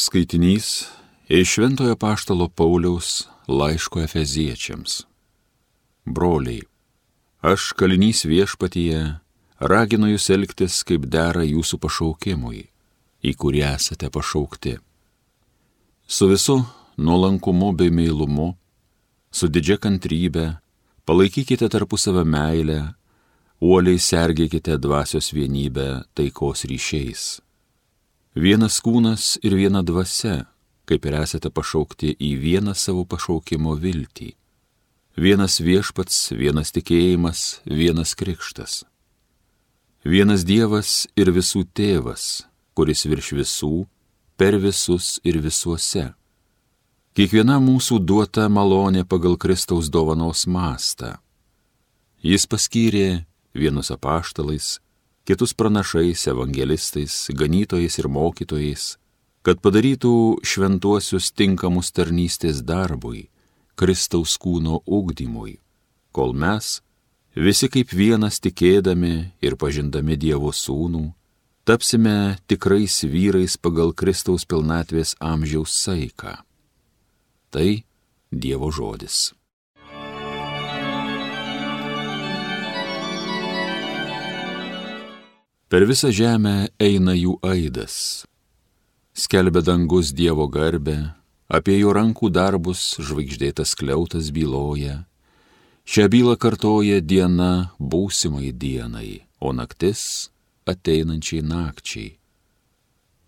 Skaitinys iš Šventojo Apaštalo Pauliaus laiško Efeziečiams. Broliai, aš kalinys viešpatyje raginu jūs elgtis, kaip dera jūsų pašaukimui, į kurį esate pašaukti. Su visu nuolankumu bei meilumu, su didžia kantrybe, palaikykite tarpusavio meilę, uoliai sergėkite dvasios vienybę taikos ryšiais. Vienas kūnas ir viena dvasia, kaip ir esate pašaukti į vieną savo pašaukimo viltį. Vienas viešpats, vienas tikėjimas, vienas krikštas. Vienas Dievas ir visų tėvas, kuris virš visų, per visus ir visuose. Kiekviena mūsų duota malonė pagal Kristaus dovanos mastą. Jis paskyrė vienus apaštalais, kitus pranašais, evangelistais, ganytojais ir mokytojais, kad padarytų šventuosius tinkamus tarnystės darbui, Kristaus kūno ugdymui, kol mes, visi kaip vienas tikėdami ir pažindami Dievo sūnų, tapsime tikrais vyrais pagal Kristaus pilnatvės amžiaus saiką. Tai Dievo žodis. Per visą žemę eina jų aidas. Skelbia dangus Dievo garbę, apie jo rankų darbus žvaigždėtas skliautas byloja. Šią bylą kartoja diena būsimai dienai, o naktis ateinančiai nakčiai.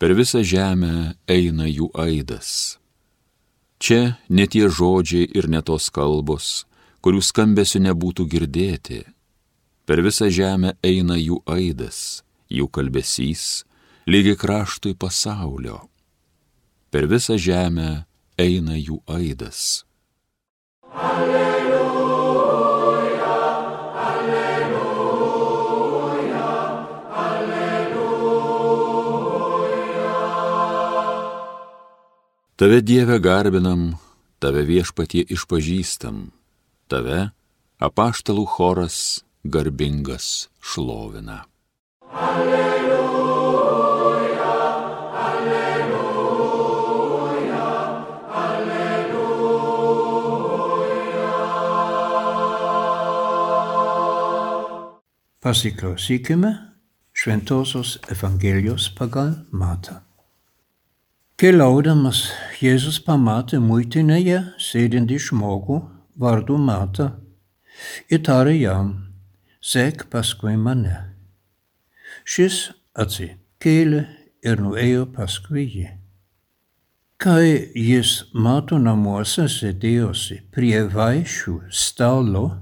Per visą žemę eina jų aidas. Čia ne tie žodžiai ir ne tos kalbos, kurių skambesių nebūtų girdėti. Per visą žemę eina jų aidas, jų kalbesys, lygiai kraštui pasaulio. Per visą žemę eina jų aidas. Alleluja, alleluja, alleluja. Tave, Dieve, garbinam, tave viešpatie išpažįstam, tave apaštalų choras garbingas šlovina. Alleluja, alleluja, alleluja. Pasiklausykime Šventosios Evangelijos pagal Matą. Keliaudamas Jėzus pamatė muitinėje sėdintį žmogų vardu Matą ir tarė jam: sek paskui mane. Šis atsikėlė ir nuėjo paskui jį. Kai jis Mato namuose sėdėjosi prie vaišių stalo,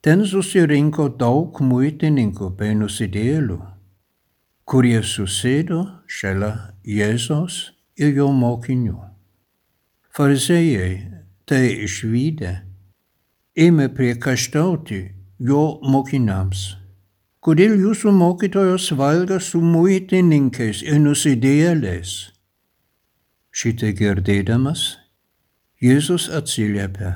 ten susirinko daug muitininkų bei nusidėjėlių, kurie susėdo šalia Jėzaus ir jo mokinių. Fariziejai tai išvydę ėmė priekaištauti jo mokiniams: kodėl jūsų mokytojos valgo su muitininkais ir nusidėjėliais? Šitai girdėdamas, Jėzus atsiliepė: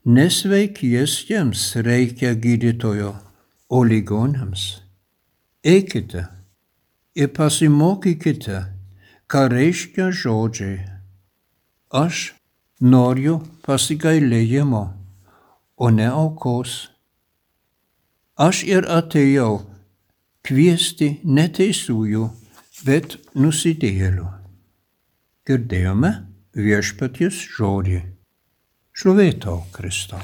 nesveikiesiems reikia gydytojo, o ligoniams. Eikite ir pasimokykite, ką reiškia žodžiai: aš noriu pasigailėjimo, o ne aukos. Aš ir atėjau kviesti ne teisiųjų, bet nusidėjėlių. Girdėjome viešpaties žodį. Šlovė tau, Kristau.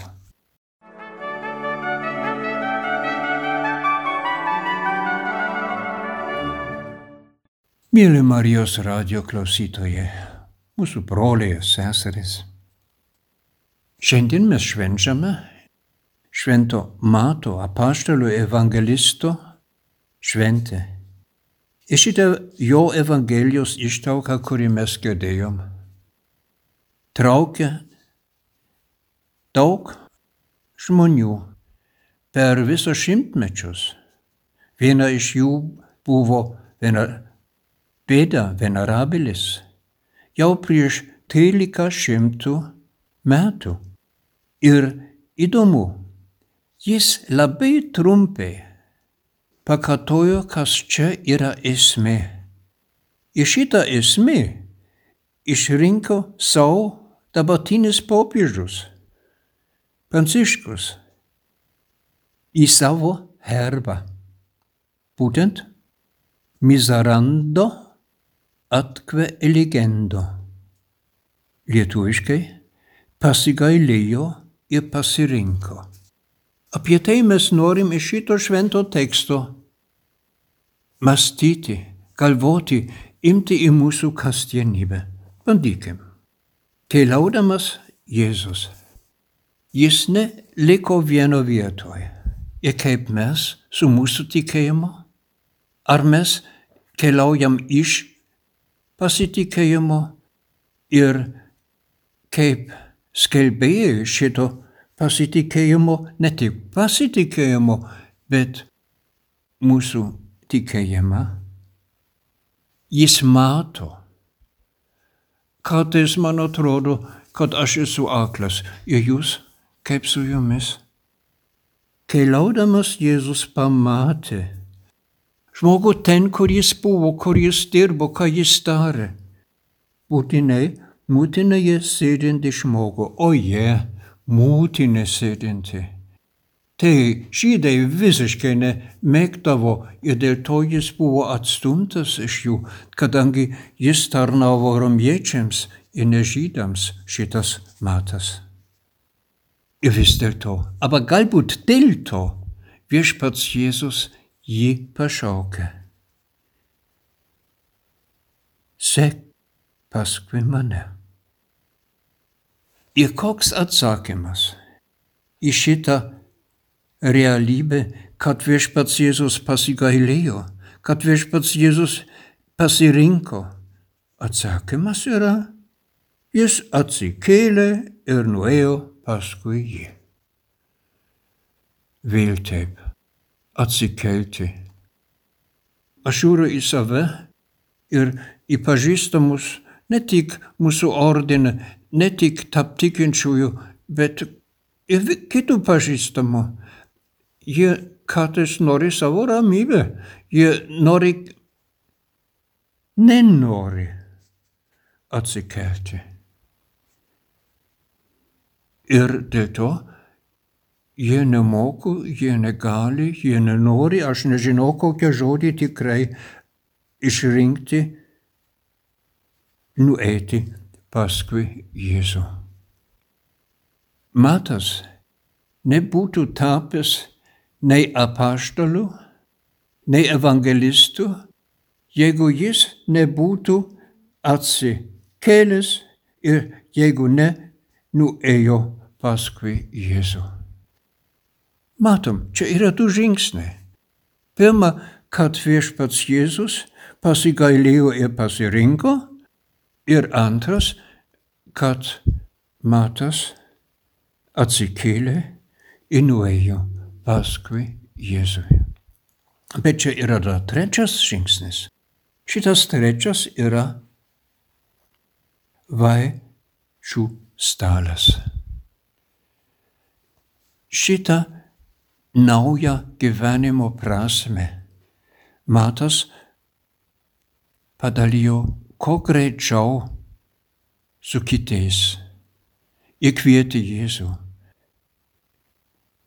Mėly Marijos radijo klausytojai, mūsų broliai ir seserys. Šiandien mes švenčiame Švento Mato apaštalo evangelisto šventę. Ir šitą jo Evangelijos ištrauką, kurį mes girdėjom, traukia daug žmonių per visus šimtmečius. Viena iš jų buvo Beda Venerabilis jau prieš 1300 metų. Ir įdomu, jis labai trumpai pakartojo, kas čia yra esmė. Ir šita esmė išrinko savo dabartinis popiežius, Pranciškus, į savo herbą. Būtent miserando atque eligendo. Lietuviškai pasigailėjo ir pasirinko. Apie tai mes norim iš šito švento teksto mąstyti, galvoti, imti į mūsų kasdienybę. Bandykim. Keliaudamas Jėzus, jis neliko vieno vietoje. Ir kaip mes su mūsų tikėjimu? Ar mes keliaujam iš pasitikėjimo ir kaip skelbėjai šito pasitikėjimo, ne tik pasitikėjimo, bet mūsų tikėjimą. Jis mato. Kartais man atrodo, kad aš esu aklas. Ir jūs, kaip su jumis? Keliaudamas Jėzus pamatė žmogų ten, kur jis buvo, kur jis dirbo, ką jis darė. Mūtinėje sėdinti žmogų. Mūtinė sėdinti. Tai žydai visiškai nemėgdavo ir dėl to jis buvo atstumtas iš jų, kadangi jis tarnavo romiečiams ir ne žydams šitas matas. Ir vis dėlto, aber galbūt dėl to viešpats Jėzus jį pašaukė. Sek paskui mane. Ir koks atsakymas į šitą realybę, kad viešpats Jėzus pasigailėjo, kad viešpats Jėzus pasirinko? Atsakymas yra, jis atsikėlė ir nuėjo paskui jį. Vėl taip, atsikelti. Aš žiūriu į save ir į pažįstamus, ne tik mūsų ordiną, ne tik tarp tikinčiųjų, bet ir kitų pažįstamų. Jie kartais nori savo ramybę, jie nenori atsikelti. Ir dėl to jie nemoko, jie negali, jie nenori, aš nežinau, kokią žodį tikrai išrinkti, nueiti paskui Jėzų. Matas nebūtų tapęs nei apaštalu, nei evangelistu, jeigu jis nebūtų atsikėlęs ir jeigu nuėjo paskui Jėzų. Matom, čia yra du žingsniai. Pirma, kad viešpats Jėzus pasigailėjo ir pasirinko, ir antras, kad Matas atsikėlė ir nuėjo paskui Jėzui. Bet čia yra dar trečias žingsnis. Šitas trečias yra vaišių stalas. Šitą naują gyvenimo prasmę Matas padalijo kuo greičiau su kitais ir kvietė Jėzų.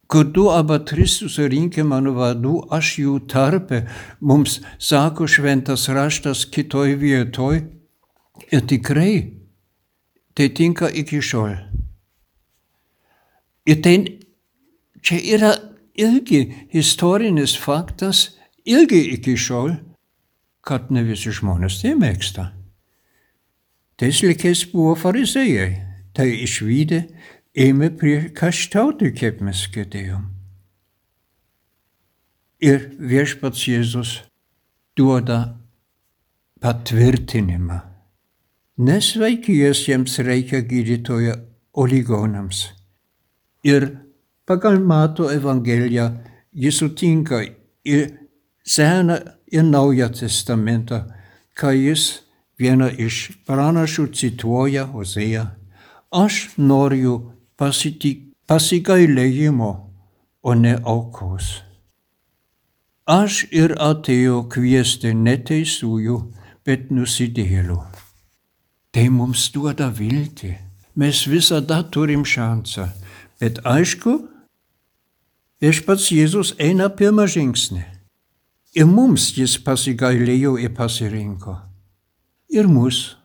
Kur du arba tris susirinkę mano vardu, aš jų tarpe, mums sako šventas raštas kitoj vietoj, ir tikrai tai tinka iki šiol. Ir tai čia yra irgi istorinis faktas, irgi iki šiol, kad ne visi žmonės tai mėgsta. Tais laikais buvo farizėjai, tai išvydę ėmė priekaištauti, kaip mes girdėjom. Ir viešpats Jėzus duoda patvirtinimą. Nesveikiesiems reikia gydytojo, o ligonams. Ir pagal Mato Evangeliją jis sutinka ir Seną ir Naują testamentą, kai jis vieną iš pranašų cituoja Hozėją. Aš noriu pasigailėjimo, o ne aukos. Aš ir atėjau kviesti ne teisiųjų, bet nusidėjėlių. tai mums duoda viltį. Mes visada turim šansą. Bet aišku, viešpats Jėzus eina pirmą žingsnį. Ir mums jis pasigailėjo ir pasirinko. Ir mus.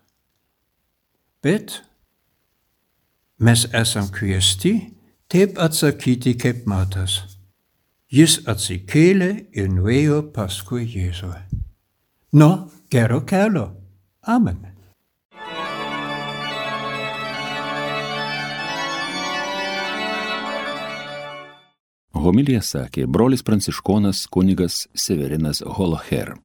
Bet mes esam kviesti taip atsakyti kaip Matas. Jis atsikėlė ir nuėjo paskui Jėzų. Nu, gero kelio. Amen. Homiliją sakė brolis pranciškonas kunigas Severinas Holoher.